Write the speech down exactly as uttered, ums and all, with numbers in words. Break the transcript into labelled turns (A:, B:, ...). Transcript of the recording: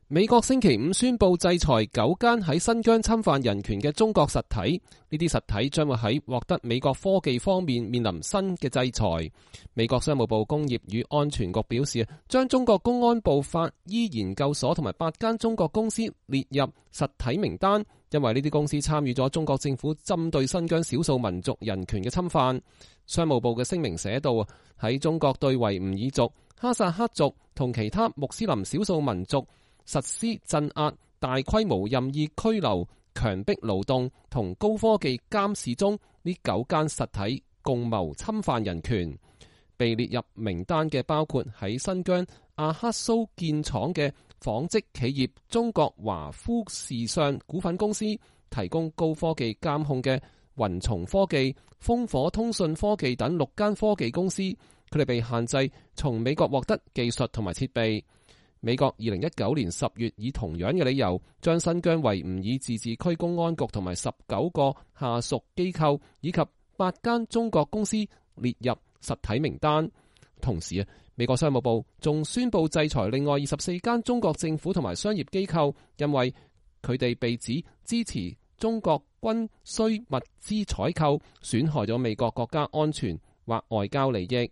A: 美國星期五宣布制裁九間喺新疆侵犯人權嘅中國實體，呢啲實體將會喺獲得美國科技方面面臨新嘅制裁。美國商務部工業與安全局表示，將中國公安部法醫研究所同埋八間中國公司列入實體名單，因為呢啲公司參與咗中國政府針對新疆少數民族人權嘅侵犯。商務部嘅聲明寫道，喺中國對維吾爾族、哈薩克族同其他穆斯林少數民族實施鎮壓、大規模任意拘留、強迫勞動同高科技監視中，呢九間實體共謀侵犯人權。被列入名單嘅包括喺新疆阿克蘇建廠嘅紡織企業中國華夫時尚股份公司，提供高科技監控嘅雲松科技、烽火通訊科技等六間科技公司，佢哋被限制從美國獲得技術同埋設備。美國二零一九年十月以同樣嘅理由，將新疆維吾爾自治區公安局同埋十九個下屬機構以及八間中國公司列入實體名單。同時啊，美國商務部仲宣布制裁另外二十四間中國政府同埋商業機構，因為佢哋被指支持中國軍需物資採購，損害咗美國國家安全或外交利益。